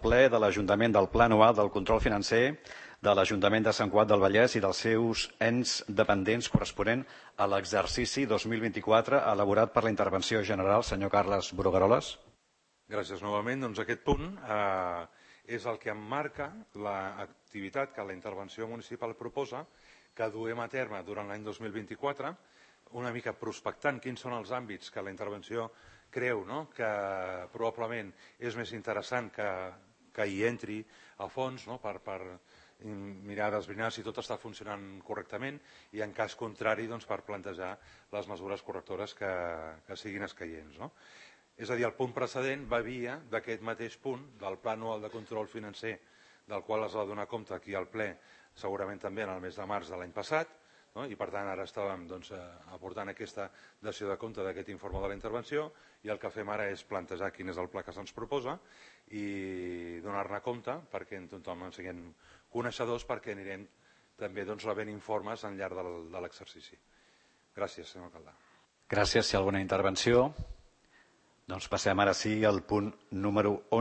ple de l'Ajuntament del Pla Anual del Control Financer de l'Ajuntament de Sant Cugat del Vallès i dels seus ens dependents corresponent a l'exercici 2024 elaborat per la intervenció general, senyor Carles Brugueroles. Gràcies novament. Doncs aquest punt és el que emmarca l'activitat que la intervenció municipal proposa que duem a terme durant l'any 2024, una mica prospectant quins són els àmbits que la intervenció creu que probablement és més interessant que hi entri a fons per mirar d'esbrinar si tot està funcionant correctament i en cas contrari per plantejar les mesures correctores que siguin escaients. És a dir, el punt precedent va via d'aquest mateix punt del Pla Anual de Control Financer del qual es va donar compte aquí al ple segurament també en el mes de març de l'any passat i per tant ara estàvem aportant aquesta dació de compte d'aquest informe de la intervenció i el que fem ara és plantejar quin és el pla que se'ns proposa i donar-ne compte perquè tothom en siguem coneixedors perquè anirem també rebent informes al llarg de l'exercici. Gràcies, senyor alcalde. Gràcies. Si hi ha alguna intervenció, doncs passem ara sí al punt número 11.